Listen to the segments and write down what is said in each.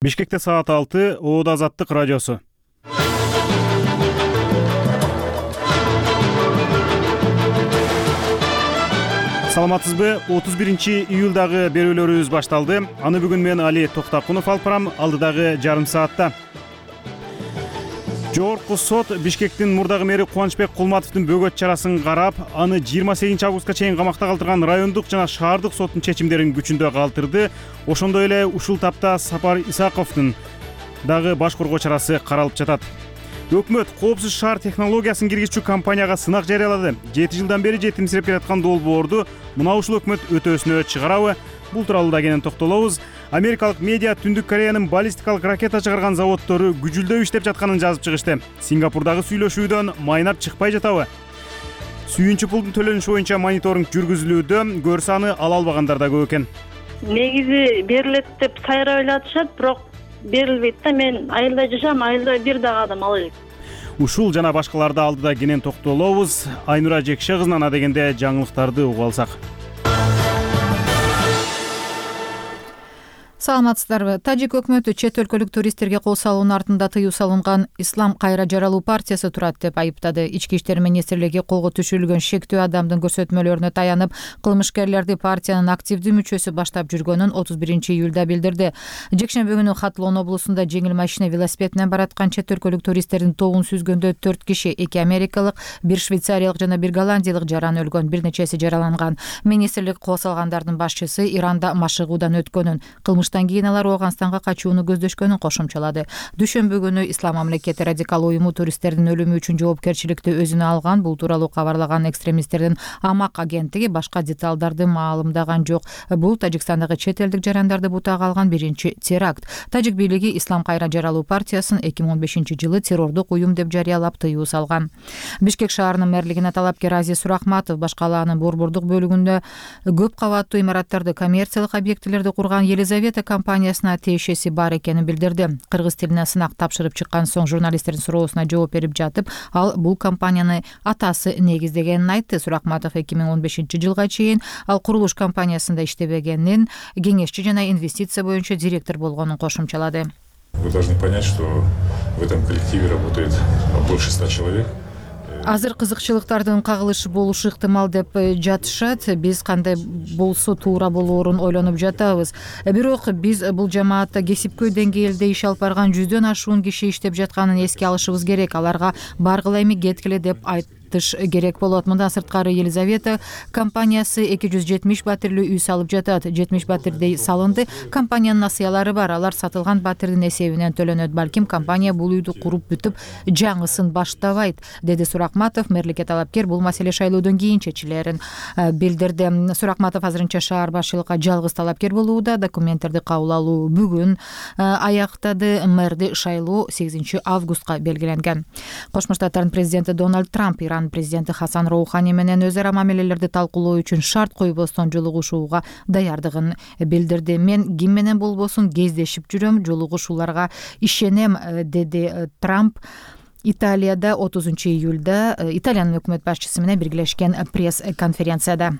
Бишкекте саат 6, Оода Азаттык радиосу. Саламатсызбы? 31-июлдагы берүүлөрүбүз башталды. Аны бүгүн мен Али Токтакунов алып барам, алдыдагы жарым саатта. Жогорку сот Бишкектин мурдагы мэри Кубанычбек Кулматовдун бөгөт чарасын карап, аны 28 августка чейин камакта калтырган райондук жана шаардык соттун чечимдерин күчүндө калтырды. Ошондой эле ушул тапта Сапар Исаковдун дагы баш коргоо чарасы каралып жатат. Өкмөт коопсуз шаар технологиясын киргизчү компанияга сынак жарыялады. 7 жылдан бери жетимсирип келаткан долбоорду мына ушул өкмөт өтөөсүнө чыгарабы? Бул тууралуу да кенен токтолобуз. Америкалык медиа Түндүк Кореянын баллистикалык ракета чыгарган заводдору күжүлдөп иштеп жатканын жазып чыгышты. Сингапурдагы сүйлөшүүдөн майнап чыкпай жатабы? Сүйүнчү пулдун төлөнүшү боюнча мониторинг жүргүзүлүүдө, көрсө аны ала албагандар да көп экен. Негизи берилет деп сайра ойлотушат, бирок берилбейт да. Мен айылда жашам, айылда бир дагы адам ала элек. Ушул жана башкаларды алдыда кенен токтолобуз. Айнура Жекше кызынан адегенде жаңылыктарды угуп алсак. Саламатсыздарбы? Тажик өкмөтү чет өлкөлүк туристтерге кол салуунун артында тыюу салынган Ислам кайра жаралуу партиясы турат деп айыптады. Ички иштер министрлиги колго түшүрүлгөн шектүү адамдын көрсөтмөлөрүнө таянып, кылмышкерлерди партиянын активдүү мүчөсү баштап жүргөнүн 31-июлда билдирди. Жекшемби күнү Хатлон облусунда жеңил машина велосипед менен бараткан чет өлкөлүк туристтердин тобун сүзгөндө 4 киши, 2 америкалык, 1 швейцариялык жана 1 голландиялык жаран өлгөн, бир нечеси жараланган. Министрлик кол салгандардын башчысы Иранда машыгуудан өткөнүн, кийин алар Ооганстанга качууну көздөшкөнүн кошумчалады. Дүйшөмбү күнү Ислам мамлекети радикал уюму туристтердин өлүмү үчүн жоопкерчиликти өзүнө алган. Бул тууралуу кабарлаган экстремисттердин Амак агенттиги башка деталдарды маалымдаган жок. Бул Тажикстандагы чет элдик жарандарды бутага алган биринчи теракт. Тажик бийлиги Ислам кайра жаралуу партиясын 2015-жылы террордук уюм деп жарыялап тыюу салган. Бишкек шаарынын мэрлигине талапкер Азиз Сурахматов башкалаанын борбордук бөлүгүндө көп кабаттуу имараттарды, коммерциялык объектилерди курган Елизавета компаниясына тиешеси бар экенин билдирди. Кыргыз тилине сынак тапшырып чыккан соң журналисттердин суроосуна жооп берип жатып, ал бул компанияны атасы негиздегенин айтты. Сурахматов 2015-жылга чейин ал курулуш компаниясында иштебегенин, кеңешчи жана инвестиция боюнча директор болгонун кошумчалады. Вы должны понять, что в этом коллективе работает больше 100 человек. Азыр кызыкчылыктардын кагылышы болушу ыктымал деп жатышат. Биз кандай болсо туура болоорун ойлонуп жатабыз. Бирок биз бул жамаатта кесипкөй деңгээлде иш алып барган 100дөн ашуун киши иштеп жатканын эске алышыбыз керек. Аларга баргыла эми кеткиле деп керек болот. Мындан сырткары Елизавета компаниясы 270 батирлүү үй салып жатат. 70 батирдей салынды. Компаниянын насыялары бар. Алар сатылган батирдин эсебинен төлөнөт. Балким компания бул үйдү куруп бүтүп, жаңысын баштабайт, деди Сурахматов. Мэрликке талапкер бул маселе шайлоодон кийин чечилерин билдирди. Сурахматов азырынча шаар башчылыкка жалгыз талапкер болууда. Документтерди кабыл алуу бүгүн аяктады. Мэрди шайлоо 8 августка белгиленген. Кошмо Штаттардын президенти Дональд Трамп Иран президенти Хасан Роухани менен өз ара мамилелерди талкуулоо үчүн шарт койбостон жолугушууга даярдыгын билдирди. Мен ким менен болбосун кездешип жүрөм, жолугушууларга ишенем, деди Трамп. Италияда 30-июлда Италиянын өкмөт башчысы менен биргелешкен пресс-конференцияда.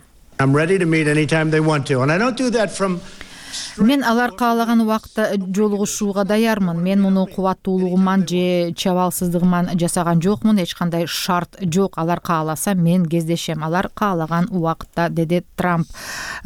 Мен алар каалаган убакытта жолугушууга даярмын. Мен муну кубаттуулугуман же чабалсыздыгыман жасаган жокмун. Эч кандай шарт жок. Алар кааласа мен кездешем. Алар каалаган убакытта, деди Трамп.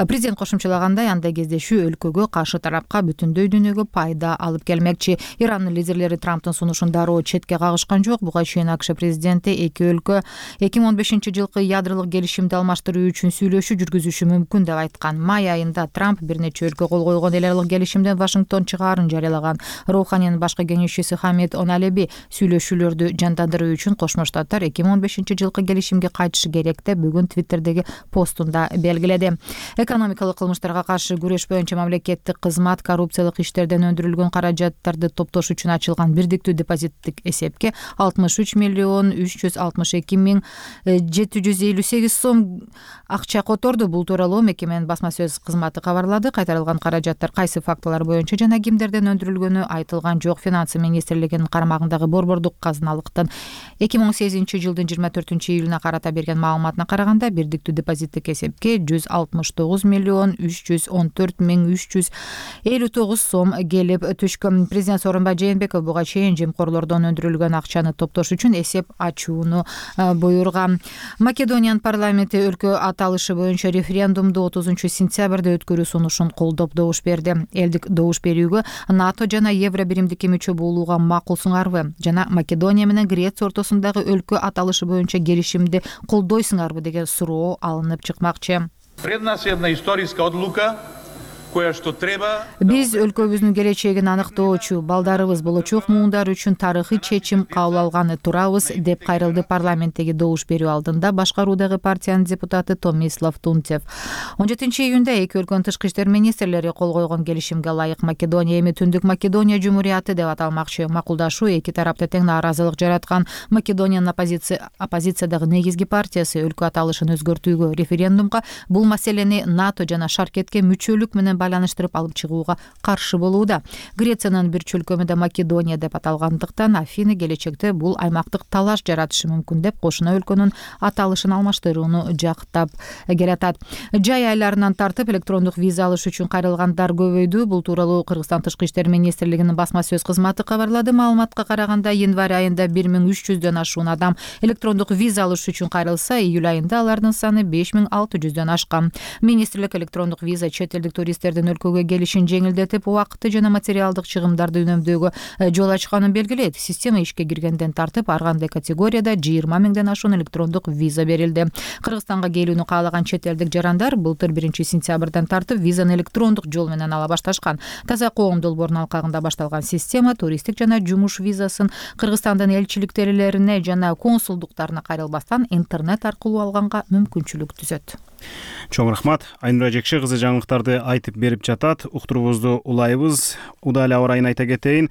Президент кошумчалагандай, андай кездешүү өлкөгө, каршы тарапка, бүтүндөй дүйнөгө пайда алып келмекчи. Иранын лидерлери Трамптын сунушун дароо четке кагышкан жок. Буга чейин АКШ президенти эки өлкө 2015-жылкы ядролук келишимди алмаштыруу үчүн сүйлөшүү жүргүзүшү мүмкүн деп айткан. Май айында Трамп бир нече өлкө кол койгон эл аралык келишимден Вашингтон чыгаарын жарыялаган. Роуханинин башкы кеңешчиси Хамид Оналеби сүйлөшүүлөрдү жандандыруу үчүн Кошмо Штаттар 2015-жылкы келишимге кайтышы керек деп бүгүн Твиттердеги постунда белгиледи. Экономикалык кылмыштарга каршы күрөш боюнча мамлекеттик кызмат коррупциялык иштерден өндүрүлгөн каражаттарды топтош үчүн ачылган бирдиктүү депозиттик эсепке 63,362,758 сом акча которду. Бул тууралуу мекеменин басма сөз кызматы кабарлады. Кайтарылган каражаттар кайсы фактылар боюнча жана кимдерден өндүрүлгөнү айтылган жок. Финансы министрлигинин карамагындагы борбордук казыналыктын 2018-жылдын 24-июлуна карата берген маалыматына караганда бирдиктүү депозиттик эсепке 169,314,359 сом келип түшкөн. Президент Сооронбай Жээнбеков буга чейин жемкорлордон өндүрүлгөн акчаны топтош үчүн эсеп ачууну буйруган. Македониянын парламенти өлкө аталышы боюнча референдумду 30-сентябрда өткөрүү сунушун колдоп добуш берди. Элдик добуш берүүгө НАТО жана Евро биримдикке мүчө болууга макулсуңарбы жана Македония менен Греция ортосундагы өлкө аталышы боюнча келишимди колдойсуңарбы деген суроо алынып чыкмакчы. Пред нас една историска одлука. Биз өлкөбүздүн келечегин аныктоочу, балдарыбыз болочок муундар үчүн тарыхый чечим кабыл алганы турабыз, деп кайрылды парламенттеги добуш берүү алдында башкаруудагы партиянын депутаты Томислав Тунцев. 17-июнда эки өлкөнүн тышкы иштер министрлери кол койгон келишимге ылайык Македония эми Түндүк Македония Жумурияты деп аталмакчы. Макулдашуу эки тарапта тең нааразылык жараткан. Македониянын оппозициядагы негизги партиясы өлкө аталышын өзгөртүүгө, референдумга бул маселени НАТО жана Шаркетке мүчөлүк менен байланыштырып алып чыгууга каршы болууда. Грециянын бир чөлкөмү да Македония деп аталгандыктан Афины келечекте бул аймактык талаш жаратышы мүмкүн деп кошуна өлкөнүн аталышын алмаштырууну жактап келатат. Жай айларынан тартып электрондук виза алыш үчүн кайрылгандар көбөйдү. Бул тууралуу Кыргызстан тышкы иштер министрлигинин басма сөз кызматы кабарлады. Маалыматка караганда январь айында 1300дөн ашуун адам электрондук виза алыш үчүн кайрылса, июль айында алардын саны 5600дөн ашкан. Министрлик электрондук виза чет элдик туристтердин өлкөгө келишин жеңилдетип, убакытты жана материалдык чыгымдарды үнөмдөөгө жол ачканын белгилейт. Система ишке киргенден тартып ар кандай категорияда 20 миңден ашуун электрондук виза берилди. Кыргызстанга келүүнү каалаган чет элдик жарандар былтыр 1-сентябрдан тартып визаны электрондук жол менен ала башташкан. Таза коом долбоорунун алкагында башталган система туристтик жана жумуш визасын Кыргызстандын элчиликтерлерине жана консулдуктарына кайрылбастан интернет аркылуу алганга мүмкүнчүлүк түзөт. Чоң рахмат. Айнура Жекше кызы жаңылыктарды айтып берип жатат. Уктуруубузду улайбыз. Удал аба ырайын айта кетейин.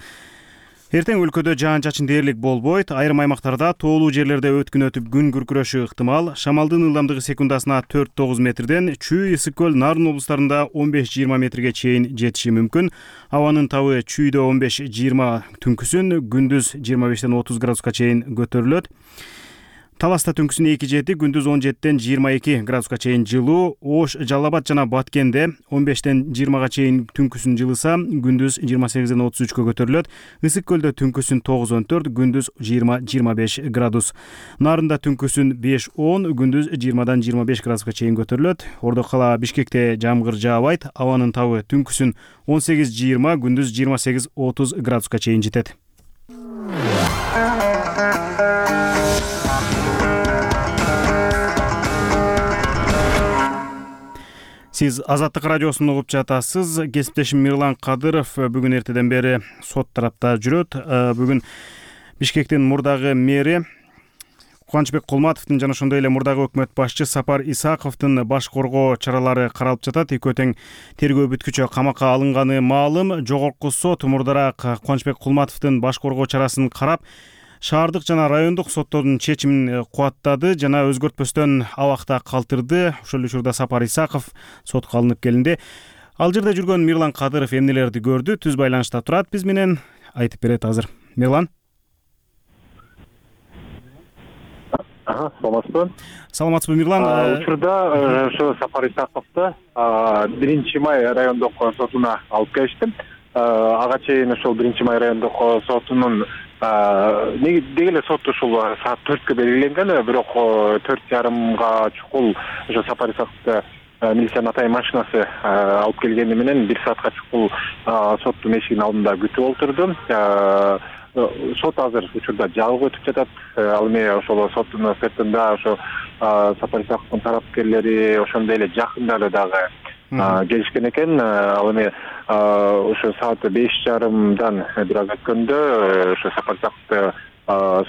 Эртең өлкөдө жаан-чачын дээрлик болбойт. Айрым аймактарда тоолуу жерлерде өткүн өтүп күн күркүрөшү ыктымал. Шамалдын ылдамдыгы секундасына 4-9 метрден, Чүй, Ысык көл, Нарын облустарында 15-20 метрге чейин жетиши мүмкүн. Абанын табы Чүйдө 15-20 түнкүсүн, күндүз 25-30 градуска чейин көтөрүлөт. Таласта түнкүсүн 2-7, күндүз 17-22 градуска чейин жылуу. Ош, Жалал Абад жана Баткенде 15-20 чейин түнкүсүн жылыса, күндүз 28-33 көтөрүлөт. Ысык көлдө түнкүсүн 9-14, күндүз 20-25 градус. Нарында түнкүсүн 5-10, күндүз 20-25 градуска чейин көтөрүлөт. Ордо кала Бишкекте жамгыр жаабайт. Абанын табы түнкүсүн 18-20, күндүз 28-30 градуска чейин жетет. Сиз Азаттык радиосун угуп жатасыз. Кесиптешим Мирлан Кадыров бүгүн эртеден бери сот тарапта жүрөт. Бүгүн Бишкектин мурдагы мэри Кубанычбек Кулматовдун жана ошондой эле мурдагы өкмөт башчы Сапар Исаковдун баш коргоо чаралары каралып жатат. Экөө тең тергөө бүткүчө камакка алынганы маалым. Жогорку сот мурдараак Кубанычбек Кулматовдун баш коргоо чарасын карап, шаардык жана райондук соттордун чечимин кубаттады жана өзгөртпөстөн абакта калтырды. Ошол эле учурда Сапар Исаков сотко алынып келинди. Ал жерде жүргөн Мирлан Кадыров эмнелерди көрдү? Түз байланышта турат биз менен, айтып берет азыр. Мирлан. Саламатсызбы? Саламатсызбы, Мирлан. Учурда ошо Сапар Исаковду 1-май райондук сотуна алып келиштим. Ага чейин ошол 1-май райондук сотунун деги эле сот ушул саат 4-кө белгиленген, бирок 4:30 чукул ошо Сапар Исаковду милициянын атайын машинасы алып келгени менен 1 саатка чукул соттун эшигинин алдында күтүп отурдум. Сот азыр учурда жабык өтүп жатат. Ал эми ошол соттун сыртында ошо Сапар Исаковдун тарапкерлери, ошондой эле жакындары дагы келишкен экен. Ал эми ошо саат 5:30 бир аз өткөндө ошо Сапар Исаковду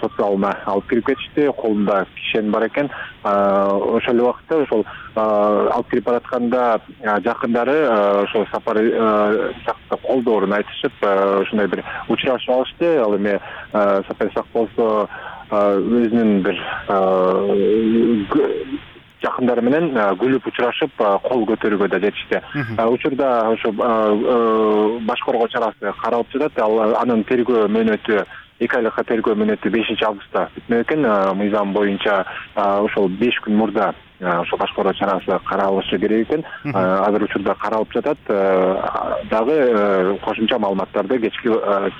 сот залына алып кирип кетишти. Колунда кишен бар экен. Ошол эле убакытта ошол алып кирип баратканда жакындары ошо Сапар Исаковду колдоорун айтышып, ошондой бир учурашып алышты. Ал эми Сапар Исаков болсо өзүнүн бир жакындары менен күлүп учурашып кол көтөрүүгө да жетишти. Учурда ошо баш коргоо чарасы каралып жатат. Анын тергөө мөөнөтү 2 айлыкка тергөө мөөнөтү 5-августта бүтмөк экен. Мыйзам боюнча ошол 5 күн мурда ошо баш коргоо чарасы каралышы керек экен. Азыр учурда каралып жатат. Дагы кошумча маалыматтарды кечки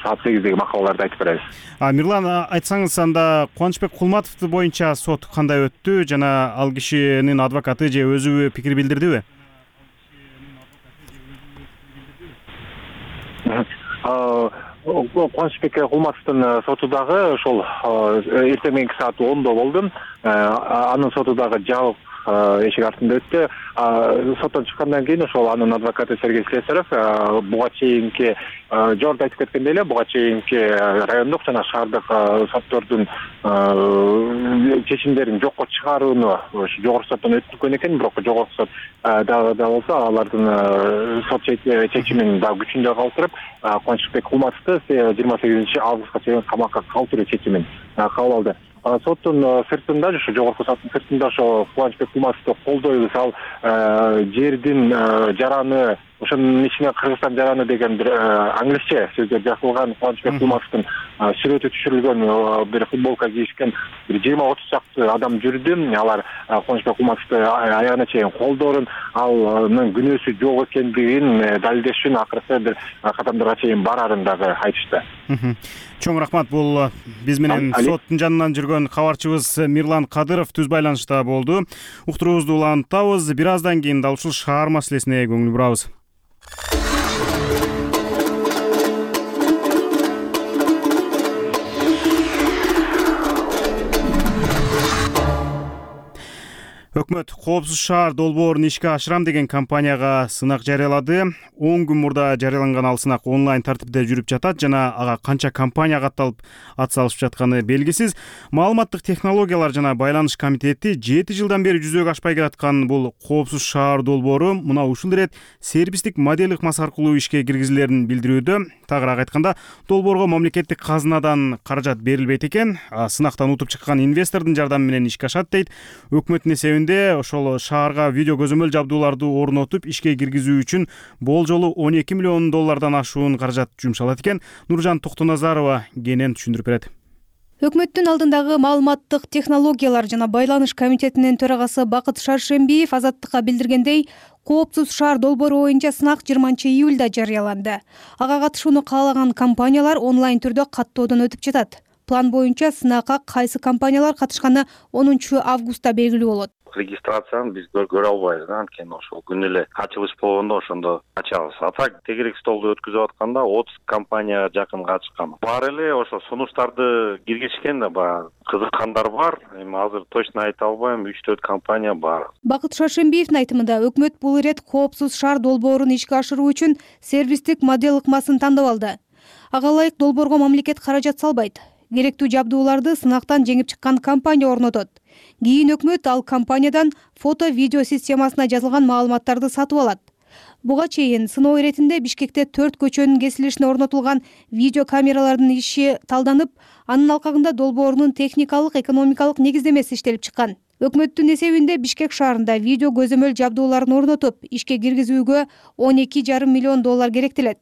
саат 8деги макалаларда айтып беребиз. Мирлан, айтсаңыз анда Кубанычбек Кулматов боюнча сот кандай өттү жана ал кишинин адвокаты же өзү пикир билдирдиби? Кубанычбек Кулматовдун соту дагы ошол эртең мененки саат 10-до болду. Анын соту дагы жабык эшик артында өттү. Соттон чыккандан кийин ошол анын адвокаты Сергей Слесарев буга чейинки жогоруда айтып кеткендей эле буга чейинки райондук жана шаардык соттордун чечимдерин жокко чыгарууну жогорку соттон өткөргөн экен, бирок жогорку сот дагы болсо алардын сот чечимин дагы күчүндө калтырып, Кубанычбек Кулматовду 28-августка чейин камакка калтыруу чечимин кабыл алды. Соттун сыртында, ошо жогорку соттун сыртында ошо Кубанычбек Кулматовду колдойбуз, ал жердин жараны, ошонун ичине Кыргызстан жараны деген бир англисче сөздөр жазылган, Кубанычбек Кулматовдун сүрөтү түшүрүлгөн бир футболка кийишкен бир 20-30 чакты адам жүрдү. Алар Кубанычбек Кулматовду аягына чейин колдоорун, анын күнөөсү жок экендигин далилдеш үчүн акыркы бир кадамдарга чейин барарын дагы айтышты. Чоң рахмат. Бул биз менен соттун жанынан жүргөн кабарчыбыз Мирлан Кадыров түз байланышта болду. Уктуруубузду улантабыз. Бир аздан кийин дал ушул шаар маселесине көңүл бурабыз. Өкмөт коопсуз шаар долбоорун ишке ашырам деген компанияга сынак жарыялады. 10 күн мурда жарыяланган ал сынак онлайн тартипте жүрүп жатат жана ага канча компания катталып ат салышып жатканы белгисиз. Маалыматтык технологиялар жана байланыш комитети 7 жылдан бери жүзөгө ашпай келаткан бул коопсуз шаар долбоору мына ушул ирет сервистик модель ыкмасы аркылуу ишке киргизилерин билдирүүдө. Тагыраак айтканда, долбоорго мамлекеттик казынадан каражат берилбейт экен. Сынактан утуп чыккан инвестордун жардамы менен ишке ашат дейт. Өкмөттүн эсебинде ошол шаарга видео көзөмөл жабдууларды орнотуп ишке киргизүү үчүн болжолу $12 миллион ашуун каражат жумшалат экен. Нуржан Токтоназарова кенен түшүндүрүп берет. Өкмөттүн алдындагы маалыматтык технологиялар жана байланыш комитетинин төрагасы Бакыт Шаршембиев Азаттыкка билдиргендей, коопсуз шаар долбоору боюнча сынак 20-июлда жарыяланды. Ага катышууну каалаган компаниялар онлайн түрдө каттоодон өтүп жатат. План боюнча сынакка кайсы компаниялар катышканы 10-августта белгилүү болот. Регистрацияны биз көрө албайбыз, анткени ошол күнү эле ачылыш болгондо ошондо ачабыз. Так тегерек столду өткүзүп атканда 30 компания жакын катышкан. Бар эле ошо сунуштарды киргизишкен да, баягы кызыккандар бар. Эми азыр точно айта албайм, 3-4 компания бар. Бакыт Шаршембиевдин айтымында, өкмөт бул ирет коопсуз шаар долбоорун ишке ашыруу үчүн сервистик модель ыкмасын тандап алды. Ага ылайык долбоорго мамлекет каражат салбайт. Керектүү жабдууларды сынактан жеңип чыккан компания орнотот. Кийин өкмөт ал компаниядан фото-видео системасына жазылган маалыматтарды сатып алат. Буга чейин сыноо иретинде Бишкекте 4 көчөнүн кесилишине орнотулган видео камералардын иши талданып, анын алкагында долбоорунун техникалык, экономикалык негиздемеси иштелип чыккан. Өкмөттүн эсебинде Бишкек шаарында видео көзөмөл жабдууларын орнотуп, ишке киргизүүгө $12,5 миллион керектелет.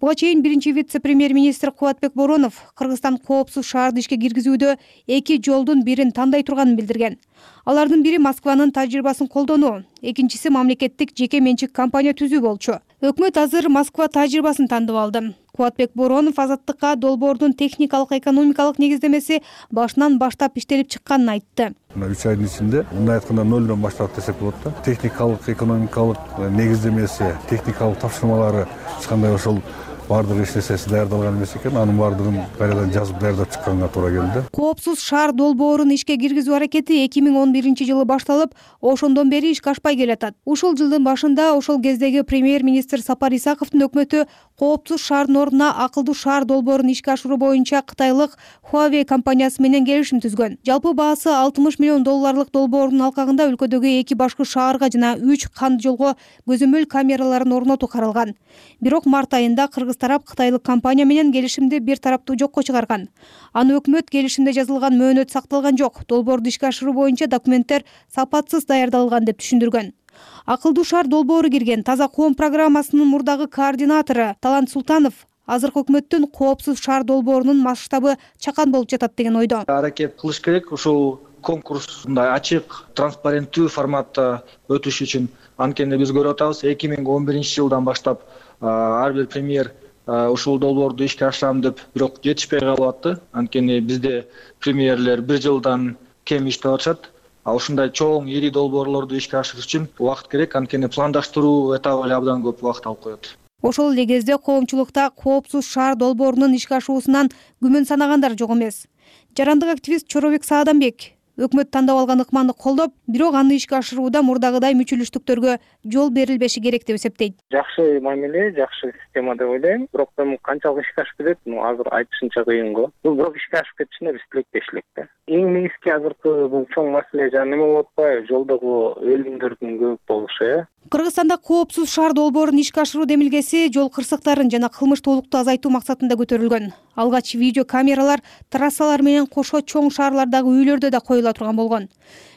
Буга чейин биринчи вице-премьер-министр Кубатбек Боронов Кыргызстан коопсуз шаарды ишке киргизүүдө 2 жолдун бирин тандай турганын билдирген. Алардын бири Москванын тажрыйбасын колдонуу, экинчиси мамлекеттик жеке менчик компания түзүү болчу. Өкмөт азыр Москва тажрыйбасын тандап алды. Кубатбек Боронов Азаттыкка долбоордун техникалык, экономикалык негиздемеси башынан баштап иштелип чыкканын айтты. 3 айдын ичинде, мындай айтканда 0дон баштап десек болот да. Техникалык, экономикалык негиздемеси, техникалык тапшырмалары эч кандай ошол бардыгы иштесеси даярдалган эмес экен. Анын бардыгын кайрадан жазып даярдап чыкканга туура келди. Коопсуз шаар долбоорун ишке киргизүү аракети 2011-жылы башталып, ошондон бери ишке ашпай келатат. Ушул жылдын башында ошол кездеги премьер-министр Сапар Исаковдун өкмөтү коопсуз шаардын ордуна акылдуу шаар долбоорун ишке ашыруу боюнча кытайлык Huawei компаниясы менен келишим түзгөн. Жалпы баасы $60 миллион долбоордун алкагында өлкөдөгү 2 башкы шаарга жана 3 канд жолго көзөмөл камераларын орнотуу каралган. Бирок март айында кыргыз тарап кытайлык компания менен келишимди бир тараптуу жокко чыгарган. Аны өкмөт келишимде жазылган мөөнөт сакталган жок, долбоорду ишке ашыруу боюнча документтер сапатсыз даярдалган деп түшүндүргөн. Акылдуу шаар долбоору кирген таза коом программасынын мурдагы координатору Талант Султанов азыркы өкмөттүн коопсуз шаар долбоорунун масштабы чакан болуп жатат деген ойдо. Аракет кылыш керек ушул конкурс мындай ачык, транспаренттүү форматта өтүш үчүн. Анткени биз көрүп атабыз, 2011-жылдан баштап ар бир премьер ушул долбоорду ишке ашырам деп, бирок жетишпей калып атты. Анткени бизде премьерлер 1 жылдан кем иштеп атышат. Ушундай чоң, ири долбоорлорду ишке ашырыш үчүн убакыт керек, анткени пландаштыруу этабы эле абдан көп убакыт алып коет. Ошол эле кезде коомчулукта коопсуз шаар долбоорунун ишке ашуусунан күмөн санагандар жок эмес. Жарандык активист Чоробек Сааданбек өкмөт тандап алган ыкманы колдоп, бирок аны ишке ашырууда мурдагыдай мүчүлүштүктөргө жол берилбеши керек деп эсептейт. Жакшы мамиле, жакшы система деп ойлойм. Бирок мен канчалык ишке ашып кетет, азыр айтышынча кыйын го. Бул бирок ишке ашып кетишине биз тилектешилик да. Эң негизги азыркы бул чоң маселе жана неме болуп атпайбы? Жолдогу өлүмдөрдүн көп болушу. Кыргызстанда коопсуз шаар долбоорун ишке ашыруу демилгеси жол кырсыктарын жана кылмыштуулукту азайтуу максатында көтөрүлгөн. Алгач видео камералар трассалар менен кошо чоң шаарлардагы үйлөрдө да коюла турган болгон.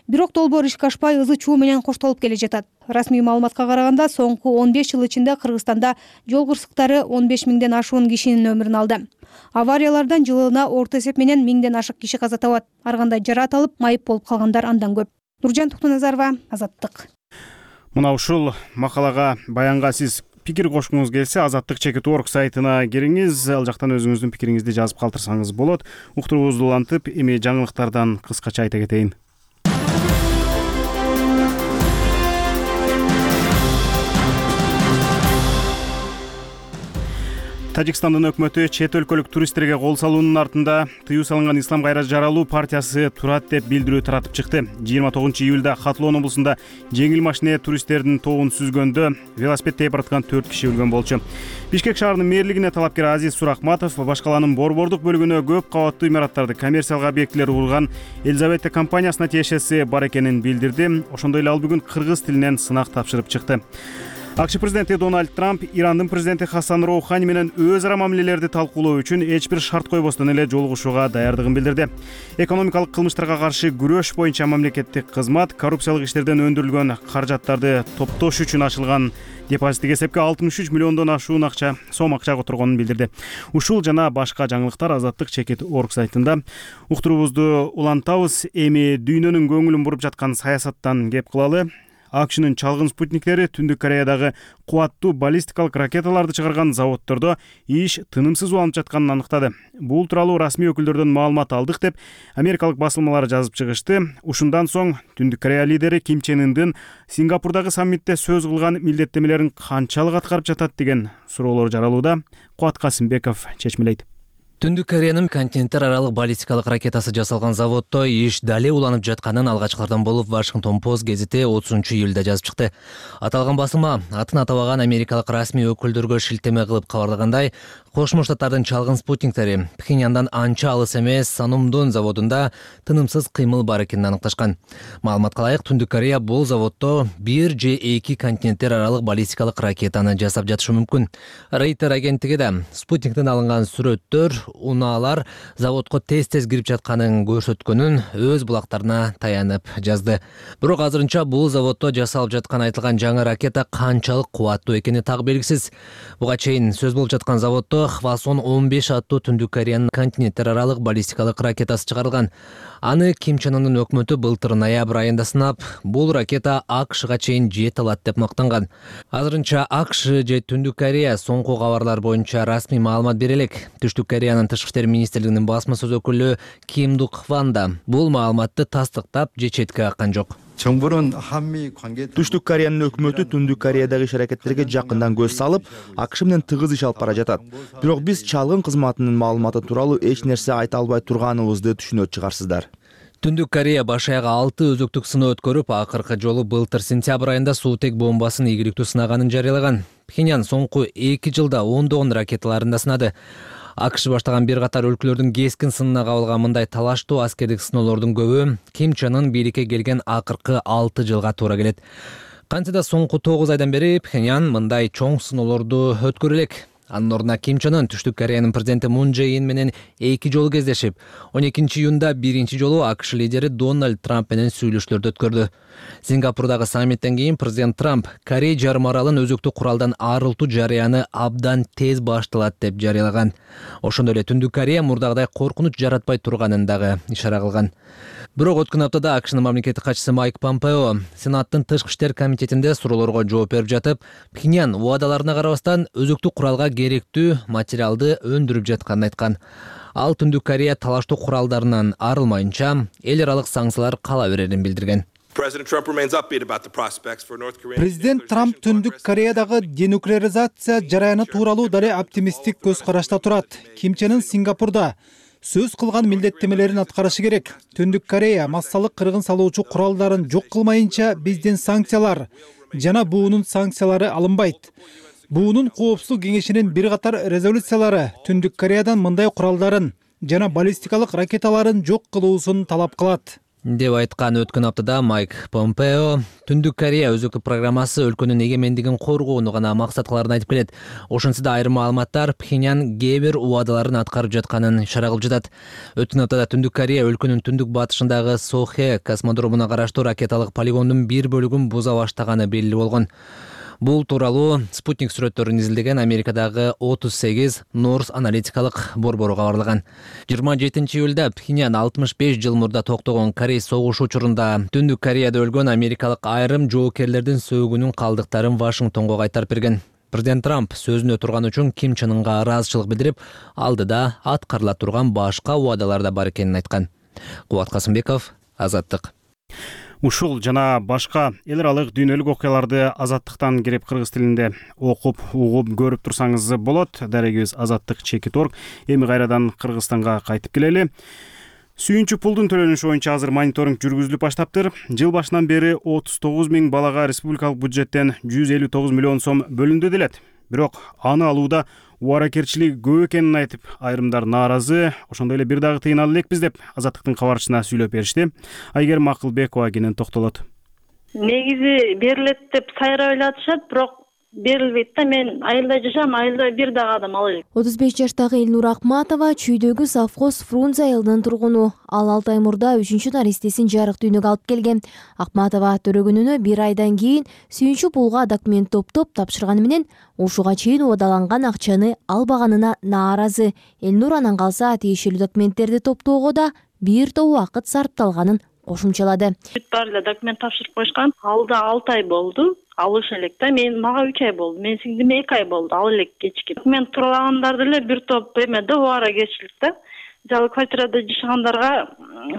Бирок долбоор ишке ашпай ызы чуу менен коштолуп келе жатат. Расмий маалыматка караганда, соңку 15 жыл ичинде Кыргызстанда жол кырсыктары 15 миңден ашуун кишинин өмүрүн алды. Авариялардан жылына орто эсеп менен 1000ден ашык киши каза табат. Ар кандай жараат алып, майып болуп калгандар андан көп. Нуржан Токтоназарова, Азаттык. Мына ушул макалага, баянга сиз пикир кошкуңуз келсе, azattik.org сайтына кириңиз, ал жактан өзүңүздүн пикириңизди жазып калтырсаңыз болот. Уктуруубузду улантып, эми жаңылыктардан кыскача айта кетейин. Тажикстандын өкмөтү чет өлкөлүк туристтерге кол салуунун артында тыюу салынган Ислам кайра жаралуу партиясы турат деп билдирүү таратып чыкты. 29 июлда Хатлоон облусунда жеңил машине туристтердин тобун сүзгөндө велосипед тээп бараткан 4 киши өлгөн болчу. Бишкек шаарынын мэрлигине талапкер Азиз Сурахматов баш калаанын борбордук бөлүгүнө көп кабаттуу имараттарды, коммерциялык объектилер курган Елизавета компаниясына тиешеси бар экенин билдирди. Ошондой эле ал бүгүн кыргыз тилинен сынак тапшырып чыкты. АКШ президенти Дональд Трамп Ирандын президенти Хасан Роухани менен өз ара мамилелерди талкуулоо үчүн эч бир шарт койбостон эле жолугушууга даярдыгын билдирди. Экономикалык кылмыштарга каршы күрөш боюнча мамлекеттик кызмат коррупциялык иштерден өндүрүлгөн каражаттарды топтош үчүн ачылган депозиттик эсепке 63 миллиондон ашуун сом акча которгонун билдирди. Ушул жана башка жаңылыктар azattik.org сайтында. Уктуруубузду улантабыз. Эми дүйнөнүн көңүлүн буруп жаткан саясаттан кеп кылалы. АКШнын чалгын спутниктери Түндүк Кореядагы кубаттуу баллистикалык ракеталарды чыгарган заводдордо иш тынымсыз уланып жатканын аныктады. Бул тууралуу расмий өкүлдөрдөн маалымат алдык деп Америкалык басылмалары жазып чыгышты. Ушундан соң Түндүк Корея лидери Ким Чен Ындын Сингапурдагы саммитте сөз кылган милдеттемелерин канчалык аткарып жатат деген суроолор жаралууда. Куат Касымбеков чечмелейт. Түндүк Кореянын континенттер аралык баллистикалык ракетасы жасалган заводдо иш дале уланып жатканын алгачкылардан болуп Washington Post гезити 30 июлда жазып чыкты. Аталган басылма атын атабаган америкалык расмий өкүлдөргө шилтеме кылып кабарлагандай, Кошмо Штаттардын чалгын спутниктери Пхеньяндан анча алыс эмес Санумдун заводунда тынымсыз кыймыл бар экенин аныкташкан. Маалыматка ылайык, Түндүк Корея бул заводдо 1 же 2 континенттер аралык баллистикалык ракетаны жасап жатышы мүмкүн. Рейтер агенттиги да спутниктен алынган сүрөттөр, унаалар заводко тез-тез кирип жатканын көрсөткөнүн өз булактарына таянып жазды. Бирок азырынча бул заводдо жасалып жаткан айтылган жаңы ракета канчалык кубаттуу экени так белгисиз. Буга чейин сөз болуп жаткан заводдо Хвасон 15 аттуу Түндүк Кореянын континенттер аралык баллистикалык ракетасы чыгарылган. Аны Ким Чен Ындын өкмөтү былтыр ноябрь айында сынап, бул ракета АКШга чейин жете алат деп мактанган. Азырынча АКШ же Түндүк Корея соңку кабарлар боюнча расмий маалымат бере элек. Түштүк Кореянын тышкы иштер министрлигинин басма сөз өкүлү Ким Дук Хван да бул маалыматты тастыктап же четке каккан жок. Түштүк Кореянын өкмөтү Түндүк Кореядагы иш-аракеттерге жакындан көз салып, АКШ менен тыгыз иш алып бара жатат. Бирок биз чалгын кызматынын маалыматы тууралуу эч нерсе айта албай турганыбызды түшүнөт чыгарсыздар. Түндүк Корея баш аягы 6 өзөктүк сыноо өткөрүп, акыркы жолу былтыр сентябрь айында суутек бомбасын ийгиликтүү сынаганын жарыялаган. Пхеньян соңку 2 жылда ондогон ракеталарын да сынады. АКШ баштаган бир катар өлкөлөрдүн кескин сынына кабылган мындай талаштуу аскердик сыноолордун көбү Ким Чен Ын бийликке келген акыркы 6 жылга туура келет. Кантсе да соңку 9 айдан бери Пхеньян мындай чоң сыноолорду өткөрө элек. Анын ордуна Ким Чен Ын Түштүк Кореянын президенти Мун Чже Ин менен 2 жолу кездешип, 12-июнда биринчи жолу АКШ лидери Дональд Трамп менен сүйлөшүүлөрдү өткөрдү. Сингапурдагы саммиттен кийин президент Трамп Корей жарым аралын өзөктүк куралдан арылтуу жарыяны абдан тез башталат деп жарыялаган. Ошондой эле Түндүк Корея мурдагыдай коркунуч жаратпай турганын дагы ишара кылган. Бирок өткөн аптада АКШнын мамлекеттик катчысы Майк Помпео Сенаттын Тышкы иштер комитетинде суроолорго жооп берип жатып, Пхеньян убадаларына карабастан өзөктүк куралга керектүү материалды өндүрүп жатканын айткан. Ал Түндүк Корея талаштуу куралдарынан арылмайынча эл аралык санкциялар кала берерин билдирген. Президент Трамп Түндүк Кореядагы денуклеаризация жараяны тууралуу дале оптимисттик көз карашта турат. Ким Чен Ын Сингапурда сөз кылган милдеттемелерин аткарышы керек. Түндүк Корея массалык кыргын салуучу куралдарын жок кылмайынча биздин санкциялар жана буунун санкциялары алынбайт. Буунун коопсуздук кеңешинин бир катар резолюциялары Түндүк Кореядан мындай куралдарын жана баллистикалык ракеталарын жок кылуусун талап кылат деп айткан. Өткөн аптада Майк Помпео Түндүк Корея өзөктүк программасы өлкөнүн эгемендигин коргоону гана максат кыларын айтып келет. Ошентсе айрым маалыматтар Пхеньян кээ бир убадаларын аткарып жатканын ишара кылып жатат. Өткөн аптада Түндүк Корея өлкөнүн түндүк батышындагы Сохе космодромуна караштуу ракеталык полигондун бир бөлүгүн буза баштаганы белгилүү болгон. Бул тууралуу спутник сүрөттөрүн изилдеген Америкадагы 38 Норс аналитикалык борбору кабарлаган. 27 июлда Пхеньян 65 жыл мурда токтогон Корей согушу учурунда Түндүк Кореяда өлгөн америкалык айрым жоокерлердин сөөгүнүн калдыктарын Вашингтонго кайтарып берген. Президент Трамп сөзүнө турган үчүн Ким Чен Ынга ыраазычылык билдирип, алдыда аткарыла турган башка убадалар да бар экенин айткан. Кубат Касымбеков, Азаттык. Ушул жана башка эл аралык дүйнөлүк окуяларды Азаттыктан кирип кыргыз тилинде окуп, угуп, көрүп турсаңыз болот. Дарегибиз Азаттык.org. Эми кайрадан Кыргызстанга кайтып келели. Сүйүнчү пулдун төлөнүшү боюнча азыр мониторинг жүргүзүлүп баштаптыр. Жыл башынан бери 39 000 балага республикалык бюджеттен 159 миллион сом бөлүндү делет. Бирок аны алууда убаракерчилик көп экенин айтып, айрымдар нааразы. Ошондой эле бир дагы тыйын ала элекпиз деп Азаттыктын кабарчысына сүйлөп беришти. Айгерим Акылбекова кенен токтолот. Негизи берилет деп сайра ойлотушат, бирок берилбейт да. Мен айылда жашам, айылда бир дагы адам ала элек. 35 жаштагы Элнур Акматова чүйдөгү совхоз Фрунзе айылынын тургуну. Ал 6 ай мурда 3-чү наристесин жарык дүйнөгө алып келген. Акматова төрөгөнүнө 1 айдан кийин сүйүнчү пулга документ топтоп тапшырганы менен ушуга чейин убадаланган акчаны албаганына нааразы. Элнур анан калса тиешелүү документтерди топтоого да бир топ убакыт сарпталганын кошумчалады. Баары эле документ тапшырып коюшкан. Алда 6 ай болду. Алыш элек да. Мага 3 ай болду. Мен сиңдиме 2 ай болду. Ал элек кечки. Документ туралагандарды эле бир топ эмеде убаракерчилик да. Жалы квартирада жашагандарга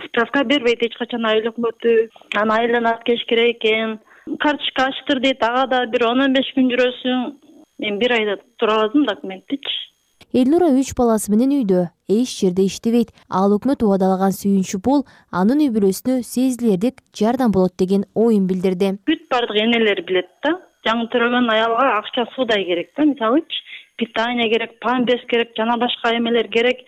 справка бербейт эч качан айыл өкмөтү. Анан айланат кеш керек экен. Карточка ачтыр дейт. Ага да бир 10-15 күн жүрөсүң. Мен бир айда тураладым документтичи. Элнура 3 баласы менен үйдө, эч жерде иштебейт. Ал өкмөт убадалаган сүйүнчү пул анын үй бүлөсүнө сезилердик жардам болот деген оюн билдирди. Бүт бардык энелер билет да. Жаңы төрөгөн аялга акча суудай керек да. Мисалычы питание керек, памперс керек, жана башка эмелер керек.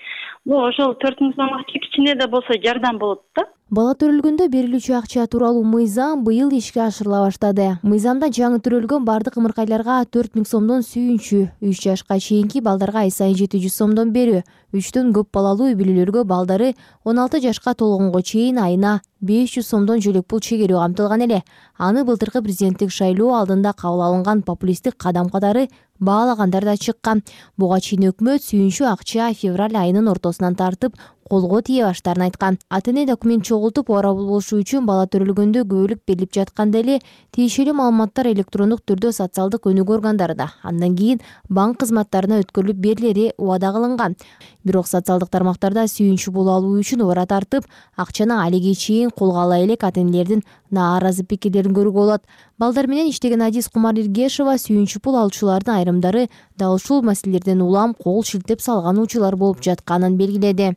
Ошол 4000 сомго кичине да болсо жардам болот да. Бала төрөлгөндө берилүүчү акча тууралуу мыйзам быйыл ишке ашырыла баштады. Мыйзамда жаңы төрөлгөн бардык ымыркайларга 4000 сомдон сүйүнчү, 3 жашка чейинки балдарга ай сайын 700 сомдон берүү, 3төн көп балалуу үй бүлөлөргө балдары 16 жашка толгонго чейин айына 500 сомдон жөлөк пул чегерүү камтылган эле. Аны былтыркы президенттик шайлоо алдында кабыл алынган популисттик кадам катары баалагандар да чыккан. Буга чейин өкмөт сүйүнчү акча февраль айынын ортосунан тартып колго тие баштарын айткан. Ата-эне документ чогултуп орабыл болушу үчүн бала төрөлгөндө көбөлүк берилип жатканда эле тиешелүү маалыматтар электрондук түрдө социалдык өнүгүү органдарында, андан кийин банк кызматтарына өткөрүлүп берилери убада кылынган. Бирок социалдык тармактарда сүйүнчү пул алуу үчүн убара тартып, акчаны алиге чейин колго ала элек ата-энелердин нааразы пикирлерин көрүүгө болот. Балдар менен иштеген Адис Кумар Иргешова сүйүнчү пул алуучулардын айрымдары дал ушул маселелерден улам кол шилтеп салган учурлар болуп жатканын белгиледи.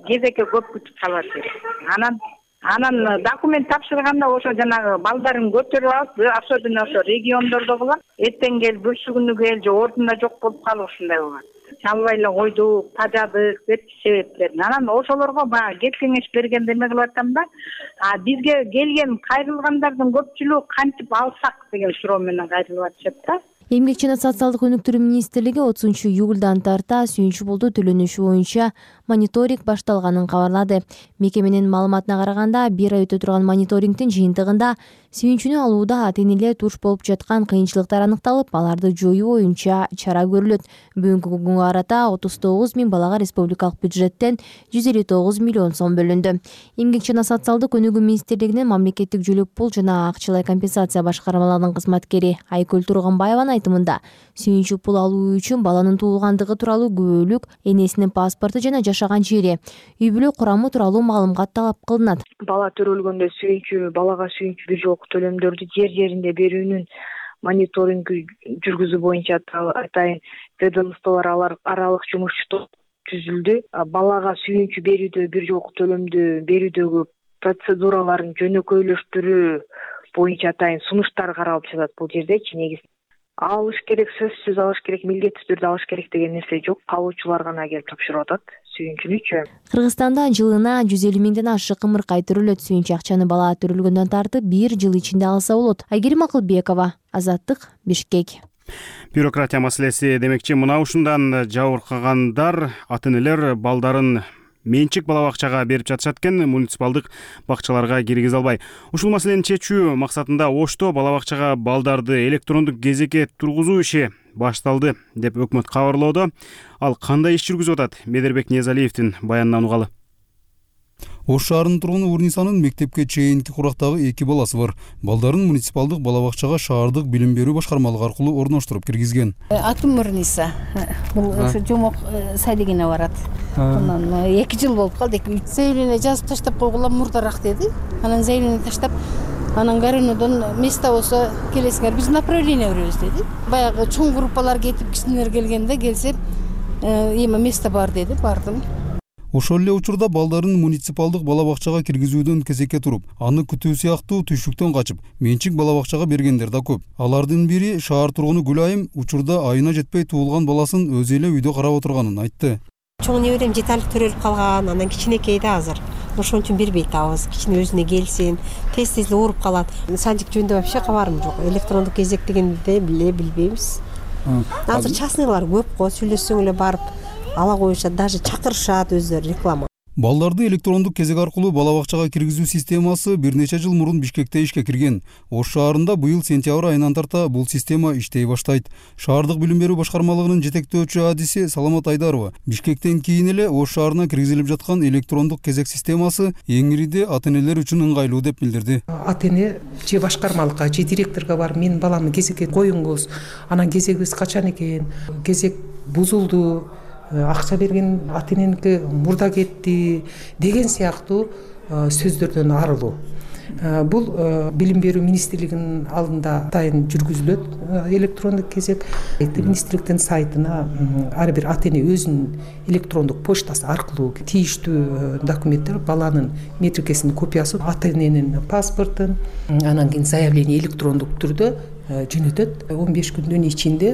Кезекке көп күтүп калат. Анан документ тапшырганда ошо жанагы балдарын көтөрүп алып, особенно ошо региондордо болот. Эртең кел, бүрсү күнү кел, же ордунда жок болуп калып ушундай болот. Чалбай эле койдук, тажадык деп себептерин. Анан ошолорго баягы кеп кеңеш бергенде эме кылып атам да. Бизге келген кайрылгандардын көпчүлүгү кантип алсак деген суроо менен кайрылып атышат да. Эмгек жана социалдык өнүктүрүү министрлиги 30-июлдан тарта сүйүнчү пулду төлөнүшү боюнча мониторинг башталганын кабарлады. Мекеменин маалыматына караганда, 1 ай өтө турган мониторингдин жыйынтыгында сүйүнчүнү алууда ата-энелер туш болуп жаткан кыйынчылыктар аныкталып, аларды жоюу боюнча чара көрүлөт. Бүгүнкү күнгө карата 39 000 балага республикалык бюджеттен 159 миллион сом бөлүндү. Эмгек жана социалдык өнүгүү министрлигинин мамлекеттик жөлөк пул жана акчалай компенсация башкармаларынын кызматкери Айкөл Турганбаеванын айтымында, сүйүнчү пул алуу үчүн баланын туулгандыгы тууралуу күбөлүк, энесинин паспорту жана жашаган жери, үй бүлө курамы тууралуу маалымат талап кылынат. Бала төрөлгөндө балага сүйүнчү бир жолку төлөмдөрдү жеринде берүүнүн мониторинг жүргүзүү боюнча атайын ведомстволор аралык жумуш топ түзүлдү. Балага сүйүнчү берүүдө бир жолку төлөмдү берүүдөгү процедураларын жөнөкөйлөштүрүү боюнча атайын сунуштар каралып жатат бул жердечи. Негизи алыш керек, сөзсүз алыш керек, милдеттүү түрдө алыш керек деген нерсе жок. Алуучулар гана келип тапшырып атат сүйүнчүнүчү. Кыргызстанда жылына 150 миңден ашык ымыркай төрөлөт. Сүйүнчү акчаны бала төрөлгөндөн тартып 1 жыл ичинде алса болот. Айгерим Акылбекова, Азаттык, Бишкек. Бюрократия маселеси демекчи, мына ушундан жабыркагандар ата-энелер балдарын менчик бала бакчага берип жатышат экен, муниципалдык бакчаларга киргизе албай. Ушул маселени чечүү максатында Ошто бала бакчага балдарды электрондук кезекке тургузуу иши башталды деп өкмөт кабарлоодо. Ал кандай иш жүргүзүп атат? Медербек Ниязалиевдин баянынан угалы. Ош шаарынын тургуну Урнисанын мектепке чейинки курактагы 2 баласы бар. Балдарын муниципалдык бала бакчага шаардык билим берүү башкармалыгы аркылуу орноштуруп киргизген. Атым Урниса. Бул ошо жомок садигине барат. Анан 2 жыл болуп калды. Заявление жазып таштап койгула мурдараак деди. Анан заявление таштап, анан Горюнодон место болсо келесиңер, биз направление беребиз деди. Баягы чоң группалар кетип, кичинелер келгенде келсе, эме место бар деди, бардым. Ошол эле учурда балдарын муниципалдык бала бакчага киргизүүдөн кезекке туруп, аны күтүү сыяктуу түшүктөн качып, менчик бала бакчага бергендер да көп. Алардын бири шаар тургуну Гүлайым учурда айына жетпей туулган баласын өзү эле үйдө карап отурганын айтты. Чоң неберем 7 айлык төрөлүп калган, анан кичинекей да азыр. Ошон үчүн бербей атабыз. Кичине өзүнө келсин, тез ооруп калат. Садик жөнүндө вообще кабарым жок. Электрондук кезек дегенди билбейбиз. Азыр частныйлар көп го, сүйлөшсөң эле барып ала коюшат, даже чакырышат өздөрү реклама. Балдарды электрондук кезек аркылуу бала бакчага киргизүү системасы бир нече жыл мурун Бишкекте ишке кирген. Ош шаарында быйыл сентябрь айынан тарта бул система иштей баштайт. Шаардык билим берүү башкармалыгынын жетектөөчү адиси Саламат Айдарова Бишкектен кийин эле Ош шаарына киргизилип жаткан электрондук кезек системасы эңириде ата-энелер үчүн ыңгайлуу деп билдирди. Ата-эне же башкармалыкка же директорго барып, менин баламды кезекке коюңуз, анан кезегибиз качан экен, кезек бузулду, акча берген ата-эненики мурда кетти деген сыяктуу сөздөрдөн арылуу. Бул билим берүү министрлигинин алдында атайын жүргүзүлөт электрондук кезек. Министрликтин сайтына ар бир ата-эне өзүнүн электрондук почтасы аркылуу тийиштүү документтер, баланын метрикесинин копиясы, ата-эненин паспортун, анан кийин заявление электрондук түрдө жөнөтөт. 15 күндүн ичинде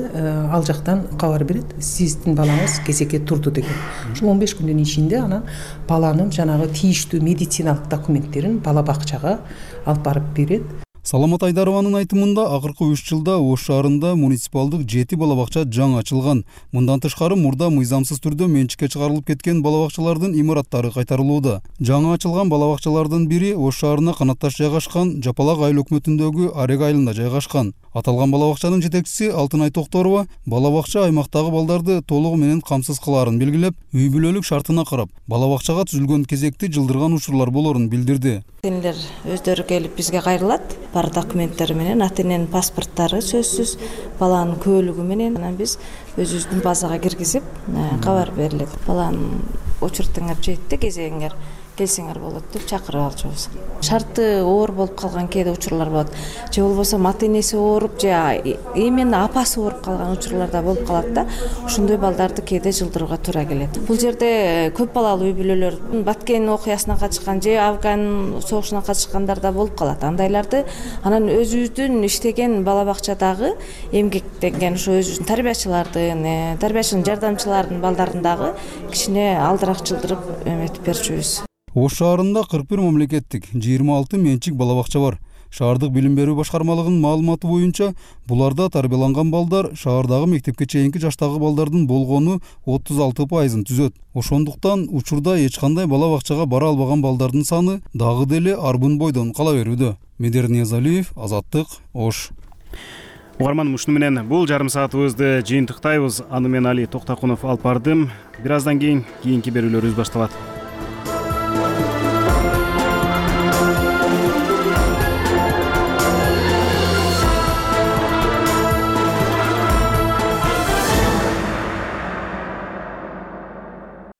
ал жактан кабар берет, сиздин балаңыз кезекке турду деген. Ушул 15 күндүн ичинде анан баланын жанагы тийиштүү медициналык документтерин бала бакчага алып барып берет. Саламат Айдарованын айтымында акыркы 3 жылда Ош шаарында муниципалдык 7 бала бакча жаңы ачылган. Мындан тышкары мурда мыйзамсыз түрдө менчикке чыгарылып кеткен бала бакчалардын имараттары кайтарылууда. Жаңы ачылган бала бакчалардын бири Ош шаарына канатташ жайгашкан Жапалак айыл өкмөтүндөгү Арег айылында жайгашкан. Аталган бала бакчанын жетекчиси Алтынай Токторова бала бакча аймактагы балдарды толугу менен камсыз кылаарын белгилеп, үй бүлөлүк шартына карап, бала бакчага түзүлгөн кезекти жылдырган учурлар болорун билдирди. Ата-энелер өздөрү келип бизге кайрылат. Бар документтери менен, ата-эненин паспорттары сөзсүз, баланын көөлүгү менен анан биз өзүбүздүн базага киргизип, кабар берилет. Баланын очередиңер жетти, кезегиңер келсеңер болот деп чакырып алчубуз. Шарты оор болуп калган кээде учурлар болот. Же болбосо ата-энеси ооруп, же именно апасы ооруп калган учурлар да болуп калат да. Ошондой балдарды кээде жылдырууга туура келет. Бул жерде көп балалуу үй бүлөлөр Баткен окуясына катышкан же Афган согушуна катышкандар да болуп калат. Андайларды анан өзүбүздүн иштеген бала бакчадагы эмгектенген ошо өзүбүздүн тарбиячынын жардамчыларынын балдарын дагы кичине алдыраак жылдырып эметип берчүбүз. Ош шаарында 41 мамлекеттик, 26 менчик бала бакча бар. Шаардык билим берүү башкармалыгынын маалыматы боюнча, буларда тарбияланган балдар шаардагы мектепке чейинки жаштагы балдардын болгону 36% түзөт. Ошондуктан учурда эч кандай бала бакчага бара албаган балдардын саны дагы деле арбын бойдон кала берүүдө. Медер Ниязалиев, Азаттык, Ош. Угарман, ушуну менен бул жарым саатыбызды жыйынтыктайбыз. Аны мен Али Токтакунов алып бардым. Бир аздан кийин кийинки берүүлөрүбүз башталат.